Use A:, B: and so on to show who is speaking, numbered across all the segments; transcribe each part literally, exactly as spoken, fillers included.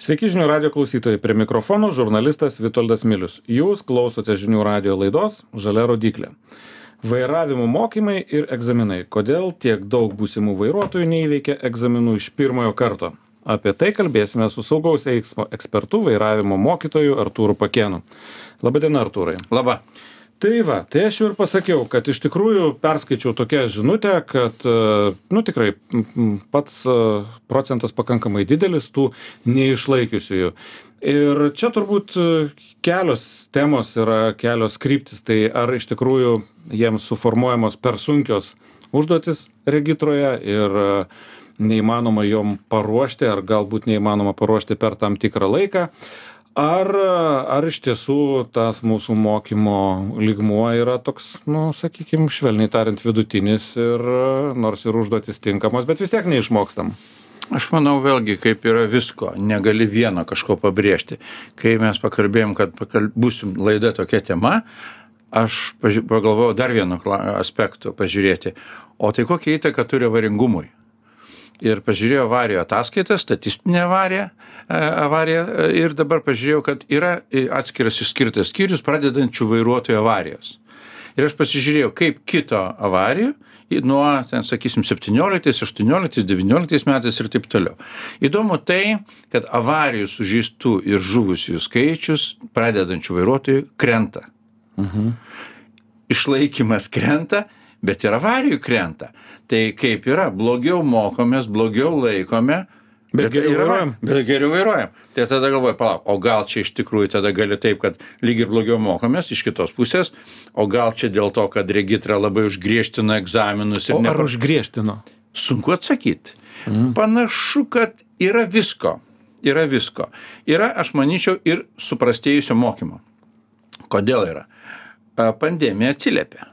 A: Sveiki žinių radio klausytojai, prie mikrofono žurnalistas Vitoldas Milius. Jūs klausote žinių radio laidos Žalia rodyklė. Vairavimo mokymai ir egzaminai. Kodėl tiek daug būsimų vairuotojų neįveikia egzaminų iš pirmojo karto? Apie tai kalbėsime su saugaus eismo ekspertu, vairavimo mokytoju Artūru Pakėnu. Labadiena, Artūrai.
B: Labą.
A: Tai va, tai aš jau ir pasakiau, kad iš tikrųjų perskaičiau tokią žinutę, kad, nu tikrai, pats procentas pakankamai didelis tų neišlaikiusiųjų. Ir čia turbūt kelios temos yra, kelios kryptis. Tai ar iš tikrųjų jiems suformuojamos per sunkios užduotis regitroje ir neįmanoma jom paruošti, ar galbūt neįmanoma paruošti per tam tikrą laiką. Ar, ar iš tiesų tas mūsų mokymo lygmuo yra toks, nu, sakykime, švelniai tariant, vidutinis ir nors ir užduotis tinkamos, bet vis tiek neišmokstam.
B: Aš manau, vėlgi, kaip yra visko, negali vieno kažko pabrėžti. Kai mes pakalbėjom, kad pakal... būsim laida tokia tema, aš paži... pagalvojau dar vienu aspektu pažiūrėti. O tai kokia įtaka turi avaringumui? Ir pažiūrėjau avarijų ataskaitą, statistinę avariją, avariją ir dabar pažiūrėjau, kad yra atskiras išskirtas skyrius pradedančių vairuotojų avarijos. Ir aš pasižiūrėjau, kaip kito avarijų nuo, ten, sakysim, septynioliktais, aštuonioliktais, devynioliktais metais ir taip toliau. Įdomu tai, kad avarijų sužeistų ir žuvusių skaičius pradedančių vairuotojų krenta.
A: Mhm.
B: Išlaikymas krenta, bet ir avarijų krenta. Tai kaip yra, blogiau mokomės, blogiau laikome, bet, bet geriau vairuojam. Bet geriau vairuojam. Tai tada galvoju, palauk, o gal čia iš tikrųjų tada gali taip, kad lyg ir blogiau mokomės iš kitos pusės, o gal čia dėl to, kad regitra labai užgriežtino egzaminus. Ir
A: o
B: ne...
A: ar užgriežtino?
B: Sunku atsakyti.
A: Mhm.
B: Panašu, kad yra visko. Yra visko. Yra, aš manyčiau, ir suprastėjusio mokymo. Kodėl yra? Pandemija atsiliepia.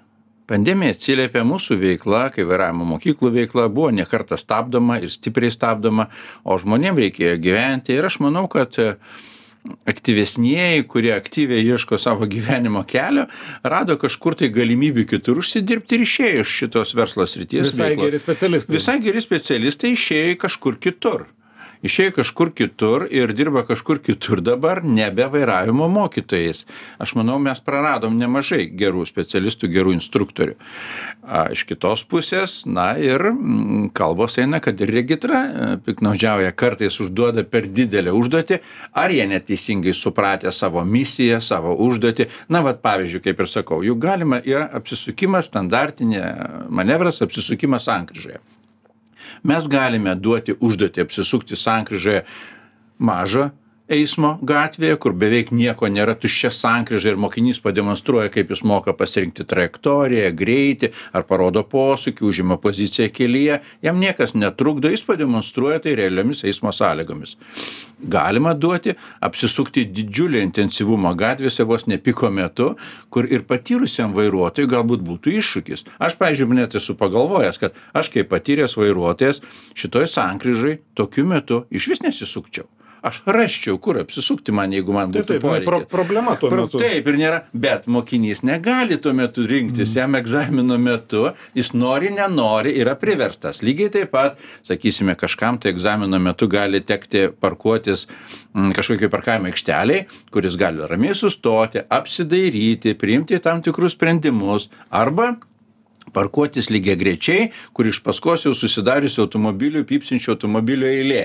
B: Pandemija atsiliepė mūsų veikla, kai vairavimo mokyklų veikla buvo ne kartą stabdoma ir stipriai stabdoma, o žmonėms reikėjo gyventi. Ir aš manau, kad aktyvesnieji, kurie aktyviai ieško savo gyvenimo kelio, rado kažkur tai galimybių kitur užsidirbti ir išėjo iš šitos verslo srities.
A: Visai
B: veiklos.
A: geri specialistai.
B: Visai geri specialistai išėjo kažkur kitur. Išėjo kažkur kitur ir dirba kažkur kitur dabar, nebe vairavimo mokytojais. Aš manau, mes praradom nemažai gerų specialistų, gerų instruktorių. A, iš kitos pusės, na ir m, kalbos eina, kad ir regitra piknaudžiauja, kartais užduoda per didelę užduotį, ar jie neteisingai supratę savo misiją, savo užduotį. Na, vat pavyzdžiui, kaip ir sakau, juk galima yra apsisukimas, standartinė manevras, apsisukimas sankryžoje. Mes galime duoti užduotį apsisukti sankryžoje mažą eismo gatvėje, kur beveik nieko nėra, tuščia sankryža ir mokinys pademonstruoja, kaip jis moka pasirinkti trajektoriją, greitį, ar parodo posūkį, užima poziciją kelyje, jam niekas netrukdo, jis pademonstruoja tai realiomis eismo sąlygomis. Galima duoti apsisukti didžiulį intensyvumą gatvėse vos ne piko metu, kur ir patyrusiam vairuotojui galbūt būtų iššūkis. Aš, pavyzdžiui, net esu pagalvojęs, kad aš kaip patyręs vairuotojas šitoj sankryžai tokiu metu iš vis nesisukčiau. Aš rasčiau, kur apsisukti man, jeigu man būtų
A: taip, taip, pro, problema tuo metu.
B: Taip ir nėra, bet mokinys negali tuo metu rinktis, jam egzamino metu, jis nori, nenori, yra priverstas. Lygiai taip pat, sakysime, kažkam tai egzamino metu gali tekti parkuotis m, kažkokiai parkavimo aikšteliai, kuris gali ramiai sustoti, apsidairyti, priimti tam tikrus sprendimus, arba parkuotis lygiagrečiai, kur iš paskos jau susidariusi automobilių, pypsinčių automobilių eilė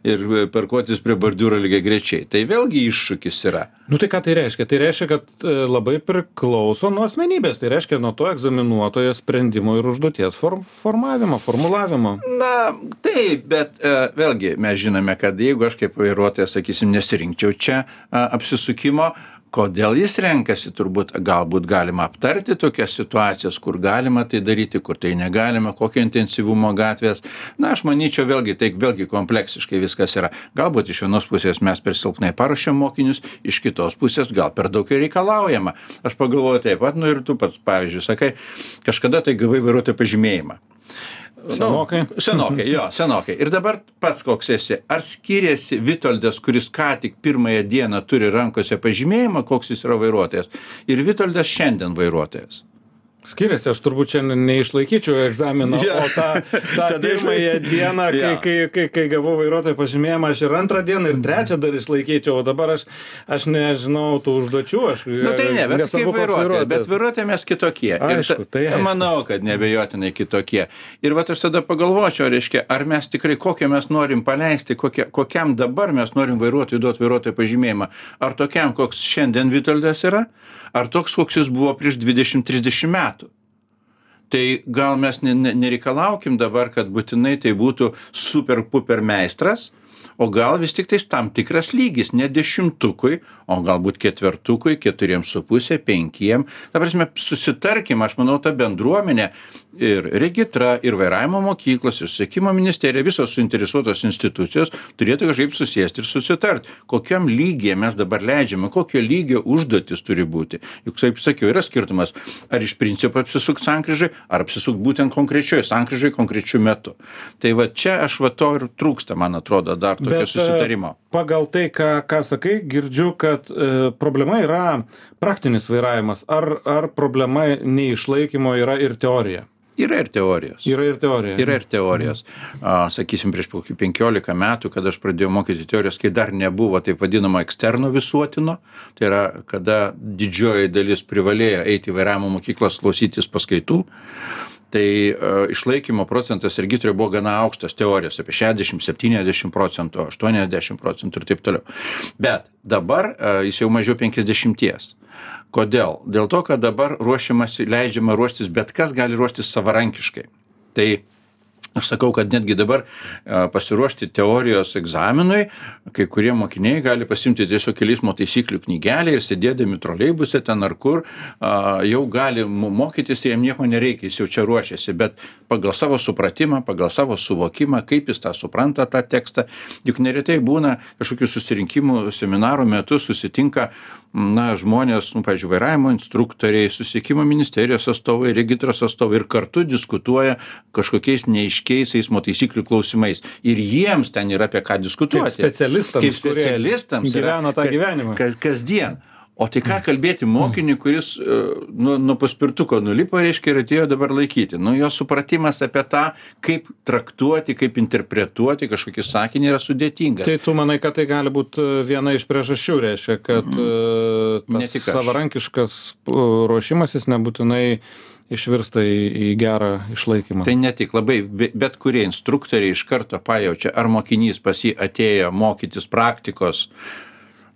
B: ir parkuotis prie bordiūro lygiagrečiai. Tai vėlgi iššūkis yra.
A: Nu tai ką tai reiškia? Tai reiškia, kad labai priklauso nuo asmenybės. Tai reiškia nuo to egzaminuotojo sprendimo ir užduoties form, formavimo, formulavimo.
B: Na, taip, bet uh, vėlgi mes žinome, kad jeigu aš kaip vairuotojas, sakysim, nesirinkčiau čia uh, apsisukimo, kodėl jis renkasi, turbūt galbūt galima aptarti tokias situacijas, kur galima tai daryti, kur tai negalima, kokio intensyvumo gatvės. Na, aš manyčiau, vėlgi, tai vėlgi kompleksiškai viskas yra. Galbūt iš vienos pusės mes per silpnai paruošiam mokinius, iš kitos pusės gal per daug ir reikalaujama. Aš pagalvoju taip pat, nu ir tu pats, pavyzdžiui, sakai, kažkada tai gavai vairuotojo pažymėjimą.
A: Senokai.
B: Nu, senokai, jo, senokai. Ir dabar pats koks esi. Ar skiriasi Vitoldas, kuris ką tik pirmąją dieną turi rankose pažymėjimą, koks jis yra vairuotojas, ir Vitoldas šiandien vairuotojas?
A: Skiriasi, aš turbūt šiandien neišlaikyčiau egzaminą,
B: Ja.
A: o tą, tą
B: Tada
A: pirmąją
B: išlaik-
A: dieną, kai,
B: Ja.
A: kai, kai, kai gavau vairuotojo pažymėjimą, aš ir antrą dieną, ir trečią dar išlaikyčiau, o dabar aš, aš nežinau tų užduočių. Aš,
B: Nu tai ne, bet
A: nesvarbu,
B: kaip
A: koks
B: vairuotojai, bet
A: vairuotojas.
B: vairuotojai mes kitokie. Ir
A: Aišku,
B: ta-
A: tai aišku.
B: Manau, kad nebejotinai kitokie. Ir va aš tada pagalvočiau, reiškia, ar mes tikrai kokią mes norim paleisti, kokia, kokiam dabar mes norim vairuotojui duoti vairuotojo pažymėjimą. Ar tokiam, koks šiandien Vitoldas yra, ar toks, koks jis buvo prieš dvidešimt trisdešimt metų. Tai gal mes ne, ne, nereikalaukim dabar, kad būtinai tai būtų super puper meistras, o gal vis tik tais tam tikras lygis, ne dešimtukui, o galbūt ketvertukui, keturiem su pusė, penkiem. Ta prasme, susitarkim, aš manau, ta bendruomenė ir regitra, ir vairavimo mokyklos, ir susisiekimo ministerija, visos suinteresuotos institucijos turėtų kažkaip susėsti ir susitart, kokiam lygyje mes dabar leidžiame, kokio lygio užduotis turi būti. Juk, kaip sakiau, yra skirtumas, ar iš principo apsisukt sankryžai, ar apsisukt būtent konkrečioje sankryžai konkrečiu metu. Tai va čia aš va to ir trūksta, man atrodo, dar tokio
A: Bet,
B: susitarimo.
A: Pagal tai, ką, ką sakai, girdžiu, kad e, problema yra praktinis vairavimas. Ar, ar problema neišlaikymo yra ir teorija?
B: Yra ir teorijos.
A: Yra ir teorija.
B: Yra ir teorijos. A, sakysim, prieš kokį penkiolika metų, kada aš pradėjau mokyti teorijos, kai dar nebuvo taip vadinamo eksterno visuotino, tai yra, kada didžioji dalis privalėjo eiti į vairavimo mokyklas klausytis paskaitų, tai uh, išlaikymo procentas regitroje buvo gana aukštas teorijos, apie šešiasdešimt septyniasdešimt procentų, aštuoniasdešimt procentų ir taip toliau. Bet dabar uh, jis jau mažiau penkiasdešimties. Kodėl? Dėl to, kad dabar ruošiamasi, leidžiama ruoštis, bet kas gali ruoštis savarankiškai. Tai aš sakau, kad netgi dabar a, pasiruošti teorijos egzaminui, kai kurie mokiniai gali pasimti tiesiog kelių eismo taisyklių knygelę ir sėdėdami troleibuse ten ar kur, a, jau gali mo- mokytis, tai jam nieko nereikia, jis jau čia ruošiasi, bet pagal savo supratimą, pagal savo suvokimą, kaip jis tą supranta tą tekstą, juk neretai būna kažkokių susirinkimų seminarų metu susitinka na, žmonės, nu, pavyzdžiui, vairavimo instruktoriai, susisiekimo ministerijos atstovai, regitros atstovai ir kartu diskutuoja kažkokiais neaiškiais eismo taisyklių klausimais. Ir jiems ten yra apie ką diskutuoti.
A: Kaip specialistams,
B: Kaip specialistams
A: kurie gyvena tą
B: ka-
A: gyvenimą.
B: Kas, kasdien. O tai ką kalbėti mokiniui, kuris uh, nuo nu paspirtuko nulipo, reiškia, ir atėjo dabar laikyti. Nu, jo supratimas apie tą, kaip traktuoti, kaip interpretuoti kažkokį sakinį yra sudėtingas.
A: Tai tu manai, kad tai gali būti viena iš priežasčių, reiškia, kad mm.
B: Ne
A: tas
B: tik aš.
A: savarankiškas uh, ruošimasis nebūtinai išvirsta į, į gerą išlaikymą.
B: Tai ne tik labai, be- bet kurie instruktoriai iš karto pajaučia, ar mokinys pas jį atėjo mokytis praktikos,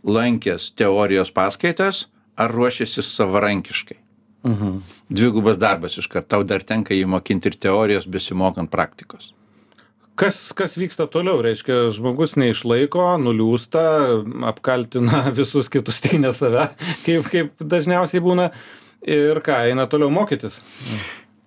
B: lankęs teorijos paskaitas, ar ruošiasi savarankiškai.
A: Mhm.
B: Dvigubas darbas iš karto, tau dar tenka jį mokinti ir teorijos, besimokant praktikos.
A: Kas, kas vyksta toliau? Reiškia, žmogus neišlaiko, nuliūsta, apkaltina visus kitus, tik ne save, kaip, kaip dažniausiai būna. Ir ką, eina toliau mokytis?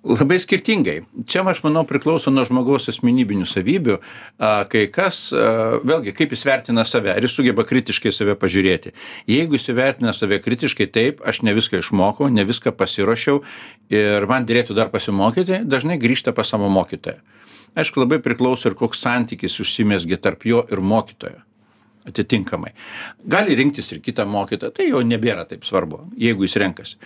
B: Labai skirtingai. Čia, aš manau, priklauso nuo žmogaus asmenybinių savybių. A, Kai kas, a, vėlgi, kaip jis vertina save, ar jis sugeba kritiškai save pažiūrėti. Jeigu jis vertina save kritiškai, taip, aš ne viską išmokau, ne viską pasiruošiau ir man dėrėtų dar pasimokyti, dažnai grįžta pas savo mokytoją. Aišku, labai priklauso ir koks santykis užsimesgi tarp jo ir mokytojo. Atitinkamai. Gali rinktis ir kitą mokytoją, tai jau nebėra taip svarbu, jeigu jis renkasi.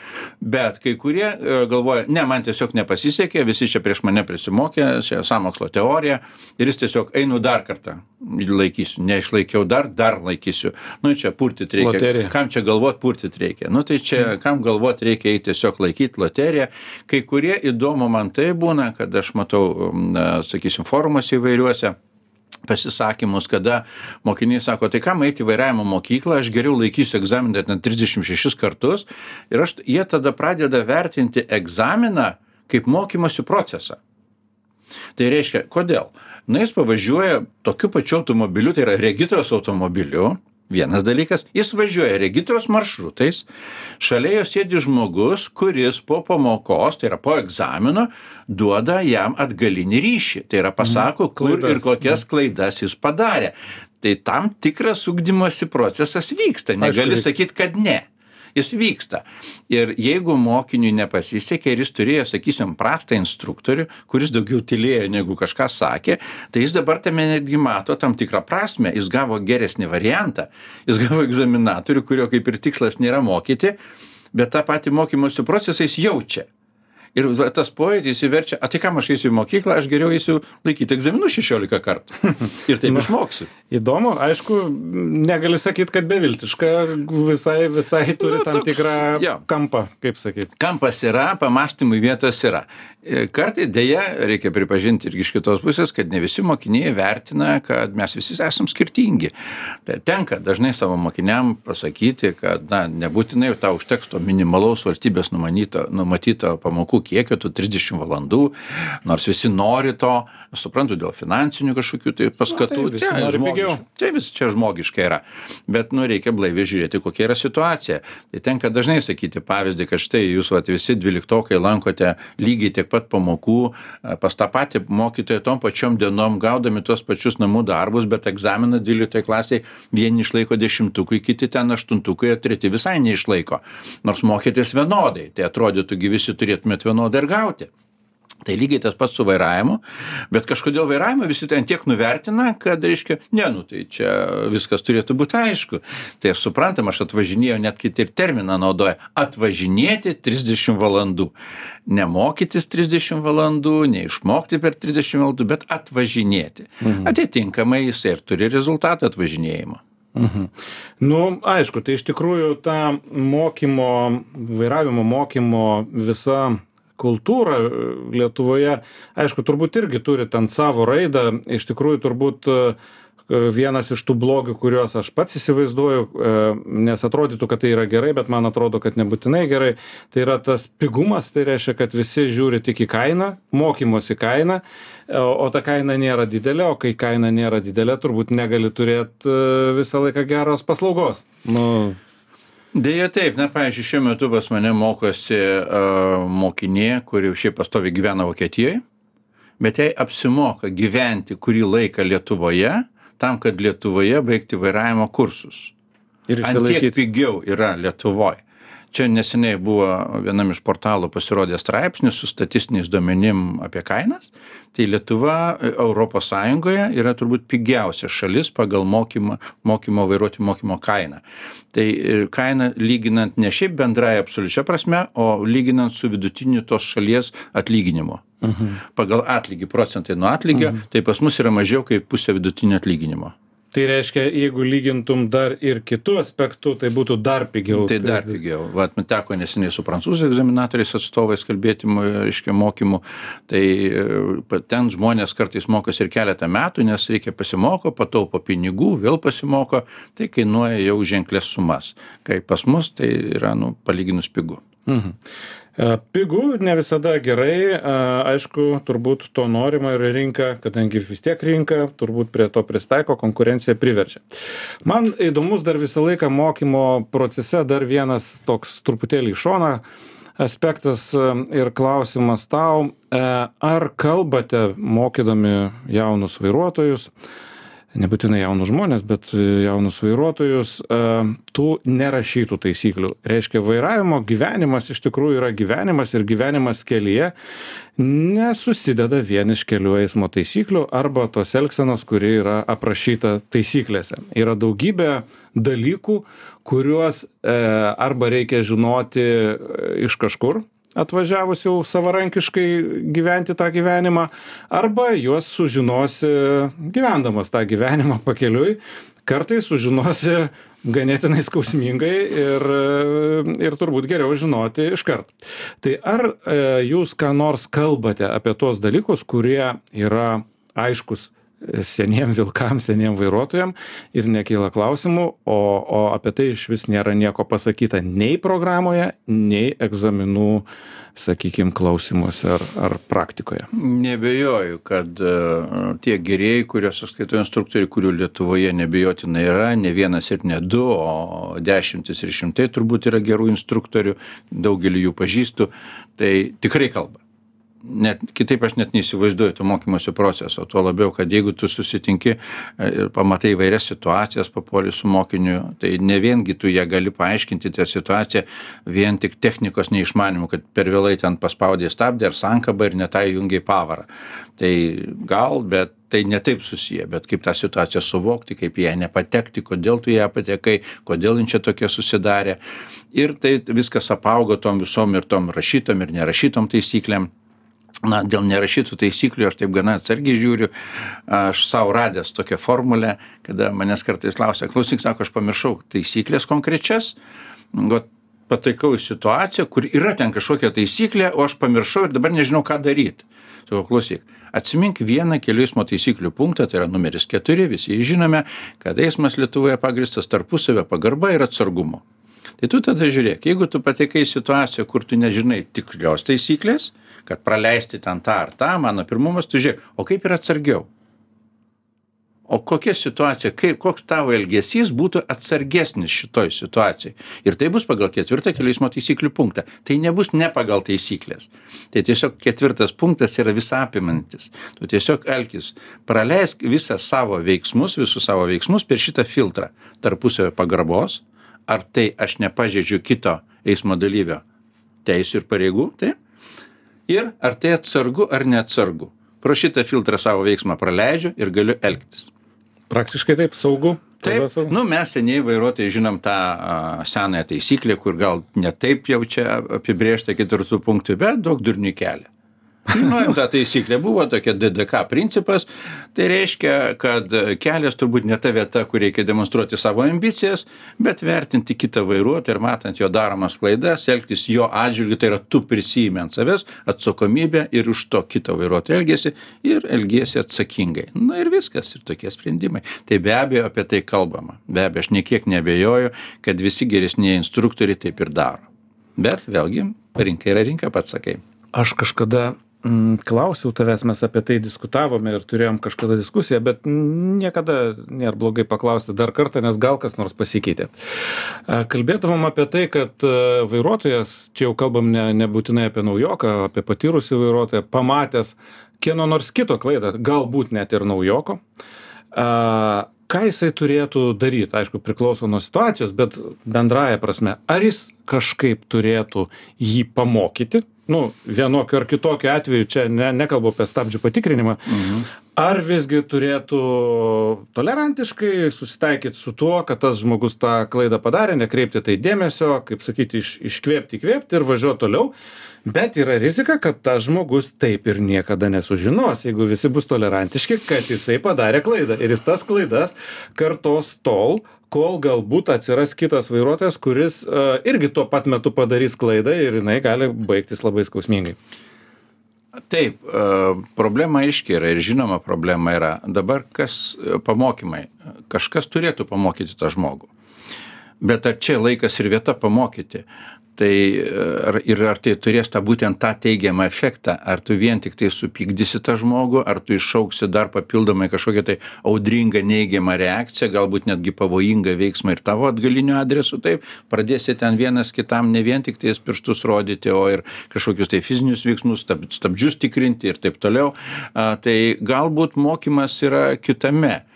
B: Bet kai kurie e, galvoja, ne, man tiesiog nepasisekė, visi čia prieš mane prisimokė, čia sąmokslo teorija, ir jis tiesiog einu dar kartą, laikysiu, neišlaikiau dar, dar laikysiu. Nu, čia purtit reikia.
A: Loterija.
B: Kam čia galvot, purtit reikia. Nu, tai čia, kam galvot reikia eiti tiesiog laikyti loteriją. Kai kurie įdomu man tai būna, kad aš matau, na, sakysim, forumuose įvairiuose, pasisakymus, kada mokiniai sako, tai kam eiti į vairavimo mokyklą, aš geriau laikysiu egzaminą net trisdešimt šešis kartus ir aš, jie tada pradeda vertinti egzaminą kaip mokymosi procesą. Tai reiškia, kodėl? Na, jis pavažiuoja tokiu pačiu automobiliu, tai yra regitros automobiliu, vienas dalykas, jis važiuoja regitros maršrutais, šalia jo sėdi žmogus, kuris po pamokos, tai yra po egzamino, duoda jam atgalinį ryšį. Tai yra pasako, kur
A: Klaidas.
B: ir kokias klaidas jis padarė. Tai tam tikras ugdymosi procesas vyksta, negali
A: vyksta.
B: sakyti, kad ne. Jis vyksta. Ir jeigu mokiniui nepasisekė ir jis turėjo, sakysim, prastą instruktorių, kuris daugiau tylėjo negu kažką sakė, tai jis dabar tame netgi mato tam tikrą prasmę. Jis gavo geresnį variantą. Jis gavo egzaminatorių, kurio kaip ir tikslas nėra mokyti, bet tą patį mokymosi procesą jis jaučia. Ir va, tas pojūtis įverčia, a tai kam aš eisiu į mokyklą, aš geriau eisiu laikyti egzaminų šešiolika kartų. Ir taip išmoksiu.
A: Įdomu, aišku, negali sakyti, kad beviltiška, visai, visai turi
B: Nu,
A: tam
B: toks,
A: tikrą
B: jo.
A: kampą, kaip sakyti.
B: Kampas yra, pamastymui vietos yra. Kartai dėja, reikia pripažinti irgi iš kitos pusės, kad ne visi mokiniai vertina, kad mes visi esam skirtingi. Tai tenka dažnai savo mokiniam pasakyti, kad na, nebūtinai tau užteks to minimalaus valstybės numatyto, numatyto pamokų kiekio, tų trisdešimt valandų, nors visi nori to, aš suprantu, dėl finansinių kažkokių tai paskatų.
A: Na, taip, visi
B: čia,
A: nori pigiau.
B: žmogiška, čia, vis, čia žmogiška yra. Bet nu, reikia blaiviai žiūrėti, kokia yra situacija. Tai tenka dažnai sakyti pavyzdį, kad štai jūs vat, visi dvyliktokai lankote lygiai tiek pat pamokų pas tą patį mokytoją tom pačiom dienom, gaudami tuos pačius namų darbus, bet egzaminą dvyliktoje klasėje vieni išlaiko dešimtukai, kiti ten aštuntukai, o treti visai neišlaiko. Nors mokytis vienodai, tai atrodytų, visi turėtumėt vienodai ir gauti. Tai lygiai tas pats su vairavimu, bet kažkodėl vairavimą visi ten tiek nuvertina, kad, reiškia, ne, nu tai čia viskas turėtų būti aišku. Tai aš suprantam, aš atvažinėjau, net kiti ir terminą naudoja, atvažinėti trisdešimt valandų. Nemokytis trisdešimt valandų, neišmokti per trisdešimt valandų, bet atvažinėti. Mhm. Atitinkamai jisai ir turi rezultatą atvažinėjimo.
A: Mhm. Nu, aišku, tai iš tikrųjų ta mokymo, vairavimo mokymo visa kultūra Lietuvoje, aišku, turbūt irgi turi ten savo raidą, iš tikrųjų turbūt vienas iš tų blogių, kuriuos aš pats įsivaizduoju, nes atrodytų, kad tai yra gerai, bet man atrodo, kad nebūtinai gerai, tai yra tas pigumas, tai reiškia, kad visi žiūri tik į kainą, mokymosi kainą, o ta kaina nėra didelė, o kai kaina nėra didelė, turbūt negali turėti visą laiką geros paslaugos. Nu,
B: Deja taip, na, pavyzdžiui, šiuo metu pas mane mokosi uh, mokinė, kuri šiaip pastoviai gyvena Vokietijoje, bet jai apsimoka gyventi kurį laiką Lietuvoje, tam, kad Lietuvoje baigti vairavimo kursus.
A: Ir
B: Ant tiek pigiau yra Lietuvoje. Čia neseniai buvo vienam iš portalų pasirodė straipsnis su statistiniais duomenim apie kainas. Tai Lietuva Europos Sąjungoje yra turbūt pigiausia šalis pagal mokymą, mokymo vairuoti mokymo kainą. Tai kaina lyginant ne šiaip bendrai absoliučia prasme, o lyginant su vidutiniu tos šalies atlyginimu. Mhm. Pagal atlygį, procentai nuo atlygio, mhm. tai pas mus yra mažiau kaip pusė vidutinio atlyginimo.
A: Tai reiškia, jeigu lygintum dar ir kitų aspektų, tai būtų dar pigiau.
B: Tai dar pigiau. Vat, man teko neseniai su prancūzų egzaminatoriais atstovais kalbėti, reiškia, mokymų. Tai ten žmonės kartais mokosi ir keletą metų, nes reikia pasimoko, pataupo pinigų, vėl pasimoko, tai kainuoja jau ženklės sumas. Kai pas mus tai yra, nu, palyginus pigu.
A: Mhm. Pigu ne visada gerai, aišku, turbūt to norima ir rinka, kadangi vis tiek rinka, turbūt prie to pristaiko, konkurencija priverčia. Man įdomus dar visą laiką mokymo procese dar vienas toks truputėlį į šoną aspektas ir klausimas tau, ar kalbate mokydami jaunus vairuotojus, nebūtinai jaunus žmonės, bet jaunus vairuotojus, tų nerašytų taisyklių. Reiškia, vairavimo gyvenimas iš tikrųjų yra gyvenimas ir gyvenimas kelyje nesusideda vien iš kelių eismo taisyklių arba tos elgsenos, kuri yra aprašyta taisyklėse. Yra daugybė dalykų, kuriuos arba reikia žinoti iš kažkur, atvažiavus jau savarankiškai gyventi tą gyvenimą, arba juos sužinosi gyvendamas tą gyvenimą pakeliui, kartais sužinosi ganėtinai skausmingai ir, ir turbūt geriau žinoti iškart. Tai ar jūs ką nors kalbate apie tuos dalykus, kurie yra aiškus seniem vilkam, seniem vairuotojam ir nekyla klausimų, o, o apie tai iš vis nėra nieko pasakyta nei programoje, nei egzaminų, sakykime, klausimuose ar, ar praktikoje.
B: Nebejoju, kad uh, tie gerieji, kuriuos aš skaitau instruktoriai, kurių Lietuvoje nebejotinai yra, ne vienas ir ne du, o dešimtis ir šimtai turbūt yra gerų instruktorių, daugelį jų pažįstu, tai tikrai kalba. net kitaip aš net neįsivaizduoju to mokymosi proceso, tuo labiau, kad jeigu tu susitinki ir pamatai įvairias situacijas, papuoli su mokiniu, tai ne viengi tu ją gali paaiškinti tą situaciją vien tik technikos neišmanimu, kad per vėlai ten paspaudė stabdį ar sankabą ir netai jungiai pavarą. Tai gal, bet tai netaip susiję, bet kaip tą situaciją suvokti, kaip ją nepatekti, kodėl tu ją patekai, kodėl jin čia tokia susidarė. Ir tai viskas apaugo tom visom ir tom rašytom ir nerašytom taisyklėm. Na, dėl nerašytų taisyklių aš taip gana atsargiai žiūriu, aš savo radęs tokią formulę, kada manęs kartais klausia, klausyk, sako, aš pamiršau taisyklės konkrečias, vat pataikau į situaciją, kur yra ten kažkokia taisyklė, o aš pamiršau ir dabar nežinau, ką daryti. Sako, klausyk, atsimink vieną kelių eismo taisyklių punktą, tai yra numeris keturi, visi žinome, kad eismas Lietuvoje pagristas tarpusavio pagarba ir atsargumu. Tai tu tada žiūrėk, jeigu tu patekai į situaciją, kur tu nežinai tikrios taisyklės, kad praleisti ten tą ar tą, mano pirmumas, tu žiūrėk, o kaip yra atsargiau? O kokia situacija, kaip, koks tavo elgesys būtų atsargesnis šitoj situacijai? Ir tai bus pagal ketvirtą kelių eismo taisyklių punktą. Tai nebus ne pagal taisyklės. Tai tiesiog ketvirtas punktas yra visą apimantis. Tu tiesiog elkis, praleisk visą savo veiksmus, visus savo veiksmus per šitą filtrą tarpusavio pagarbos. Ar tai aš nepažeidžiu kito eismo dalyvio teisių ir pareigų, taip? Ir ar tai atsargu ar neatsargu. Pro šitą filtrą savo veiksmą praleidžiu ir galiu elgtis.
A: Praktiškai taip, saugu.
B: Taip, saugu. Nu, mes seniai vairuotojai žinom tą a, senąją taisyklę, kur gal ne taip jau čia apibrėžta ketvirtų punktų, bet daug durnių kelia. Žinojom, ta taisyklė buvo tokia D D K principas, tai reiškia, kad kelias turbūt ne ta vieta, kur reikia demonstruoti savo ambicijas, bet vertinti kitą vairuotoją ir matant jo daromas klaidas, elgtis jo atžvilgiu, tai yra tu prisijimi ant savęs atsakomybę ir už to kito vairuotojo elgiasi ir elgiesi atsakingai. Na ir viskas, ir tokie sprendimai. Tai be abejo apie tai kalbama. Be abejo, aš niekiek neabejoju, kad visi geresnieji instruktoriai taip ir daro. Bet vėlgi, rinka yra rinka, pats sakai.
A: Aš kažkada klausiau tavęs, mes apie tai diskutavome ir turėjom kažkada diskusiją, bet niekada nėra blogai paklausti dar kartą, nes gal kas nors pasikeitė. Kalbėdavom apie tai, kad vairuotojas, čia jau kalbam ne, nebūtinai apie naujoką, apie patyrusį vairuotoją, pamatęs kieno nors kito klaidą, galbūt net ir naujoko, ką jisai turėtų daryti, aišku, priklauso nuo situacijos, bet bendraja prasme, ar jis kažkaip turėtų jį pamokyti, nu, vienokiu ar kitokiu atveju, čia ne, nekalbu apie stabdžių patikrinimą, mhm. ar visgi turėtų tolerantiškai susitaikyti su tuo, kad tas žmogus tą klaidą padarė, nekreipti tai dėmesio, kaip sakyti, iš, iškvėpti, įkvėpti ir važiuoti toliau, bet yra rizika, kad tas žmogus taip ir niekada nesužinos, jeigu visi bus tolerantiški, kad jisai padarė klaidą ir jis tas klaidas kartos tol, kol galbūt atsiras kitas vairuotojas, kuris uh, irgi tuo pat metu padarys klaidą ir jinai gali baigtis labai skausmingai.
B: Taip, problema aiškiai yra ir žinoma problema yra. Dabar kas pamokymai? Kažkas turėtų pamokyti tą žmogų. Bet ar čia laikas ir vieta pamokyti? Tai ar, ir ar tai turės tą būtent tą teigiamą efektą? Ar tu vien tik tai supykdysi tą žmogų, ar tu iššauksi dar papildomai kažkokią tai audringą neigiamą reakciją, galbūt netgi pavojingą veiksmą ir tavo atgaliniu adresu, taip, pradėsi ten vienas kitam ne vien tik tais pirštus rodyti, o ir kažkokius tai fizinius veiksmus, stab, stabdžius tikrinti ir taip toliau. A, tai galbūt mokymas yra kitame.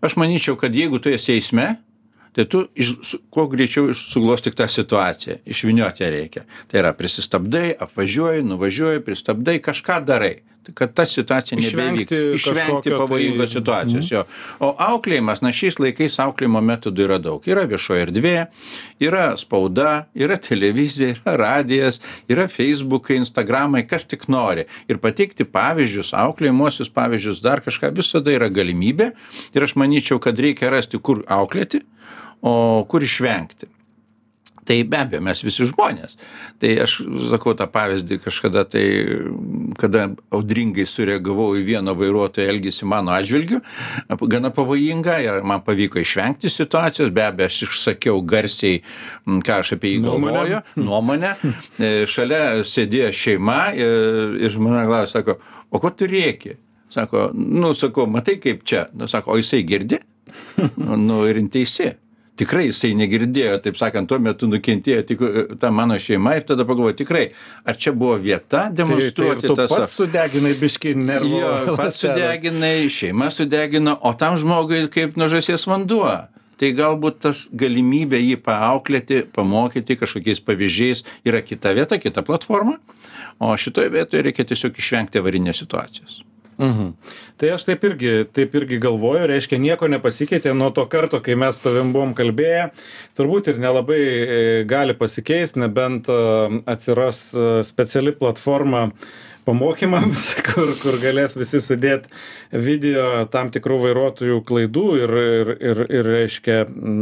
B: Aš manyčiau, kad jeigu tu esi eisme, tai tu iš, kuo greičiau suglostyk tą situaciją, išvynioti ją reikia. Tai yra prisistabdai, apvažiuoji, nuvažiuoji, pristabdai, kažką darai, kad ta situacija nebevyktų. Išvengti pavojingos tai... situacijos. Jo. O auklėjimas, na šiais laikais auklėjimo metodų yra daug. Yra viešoji erdvė, yra spauda, yra televizija, yra radijas, yra Facebookai, Instagramai, kas tik nori. Ir pateikti pavyzdžius, auklėjimuosius pavyzdžius, dar kažką, visada yra galimybė. Ir aš manyčiau, kad reikia rasti, kur auklėti, o kur išvengti. Tai be abejo, mes visi žmonės. Tai aš sakau tą pavyzdį kažkada, tai kada audringai sureagavau į vieno vairuotojo elgesį mano atžvilgiu, gana pavojinga ir man pavyko išvengti situacijos, be abejo, aš išsakiau garsiai, ką aš apie jį galvoju, nuomonę. Šalia sėdėjo šeima ir, ir žmona klausė, sako, o ko tu rėki? Sako, nu, sakau, matai kaip čia? Nu, sako, o jisai girdi? Nu, ir teisi. tikrai jisai negirdėjo, taip sakant, tuo metu nukentėjo tik ta mano šeima ir tada pagalvoju, tikrai, ar čia buvo vieta demonstruoti
A: tai, tai
B: tas...
A: Tu pats sudeginai biškį nervų.
B: Jo, pats sudeginai, šeima sudegino, o tam žmogui kaip nuo žąsies vanduo. Tai galbūt tas galimybė jį paauklėti, pamokyti kažkokiais pavyzdžiais yra kita vieta, kita platforma, o šitoje vietoje reikia tiesiog išvengti avarinės situacijos.
A: Mhm. Tai aš taip irgi, taip irgi galvoju, reiškia, nieko nepasikeitė nuo to karto, kai mes tavim buvom kalbėję, turbūt ir nelabai gali pasikeisti, nebent atsiras speciali platforma pamokymams, kur, kur galės visi sudėti video tam tikrų vairuotojų klaidų ir, ir, ir, ir reiškia,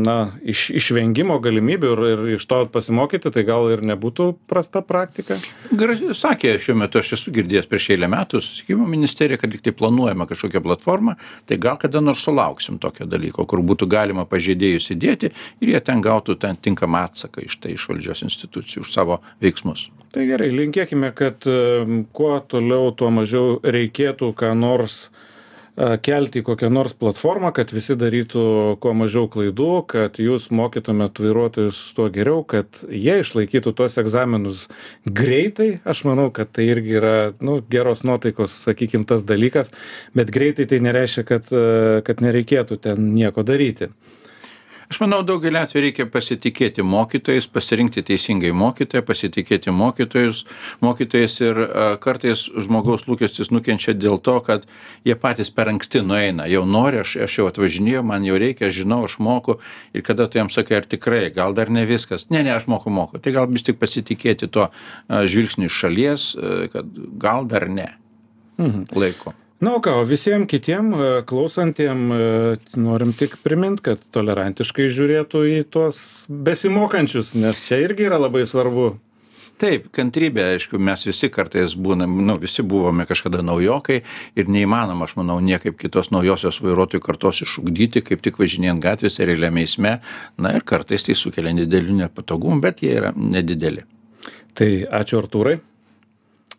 A: na, iš, išvengimo galimybių ir, ir iš to pasimokyti, tai gal ir nebūtų prasta praktika?
B: Gražiai sakė, šiuo metu aš esu girdėjęs prieš eilę metų susisiekimo ministerija, kad lyg tai planuojama kažkokią platformą, tai gal kada nors sulauksim tokio dalyko, kur būtų galima pažeidėjus įdėti ir jie ten gautų ten tinkamą atsaką iš tai iš valdžios institucijų už savo veiksmus.
A: Tai gerai, linkėkime, kad kuo toliau, tuo mažiau reikėtų ką nors kelti į kokią nors platformą, kad visi darytų kuo mažiau klaidų, kad jūs mokytumėt vairuotojus tuo geriau, kad jie išlaikytų tos egzaminus greitai. Aš manau, kad tai irgi yra, nu, geros nuotaikos, sakykim, tas dalykas, bet greitai tai nereiškia, kad, kad nereikėtų ten nieko daryti.
B: Aš manau, daugelį atvejų reikia pasitikėti mokytojais, pasirinkti teisingai mokytoją, pasitikėti mokytojus, mokytojais ir a, kartais žmogaus lūkestis nukenčia dėl to, kad jie patys per anksti nueina. Jau nori, aš, aš jau atvažinėjau, man jau reikia, aš žinau, aš moku ir kada tu jam sakai, ar tikrai, gal dar ne viskas. Ne, ne, aš moku, moku. Tai gal vis tik pasitikėti to a, žvilgsniu iš šalies, a, kad gal dar ne. Mhm. Laiko.
A: Na, o ką, visiems kitiem klausantiem norim tik primint, kad tolerantiškai žiūrėtų į tuos besimokančius, nes čia irgi yra labai svarbu.
B: Taip, kantrybė, aišku, mes visi kartais būnam, nu, visi buvome kažkada naujokai ir neįmanoma, aš manau, niekaip kitos naujosios vairuotojų kartos išugdyti, kaip tik važinėjant gatvėse ir realiame eisme. Na ir kartais tai sukelia didelių nepatogumų, bet jie yra nedideli.
A: Tai ačiū, Artūrai.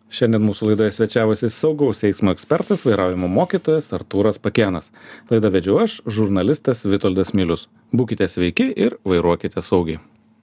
A: Šiandien mūsų laidoje svečiavosi saugaus eismo ekspertas, vairavimo mokytojas Artūras Pakėnas. Laidą vedžiau aš, žurnalistas Vitoldas Milius. Būkite sveiki ir vairuokite saugiai.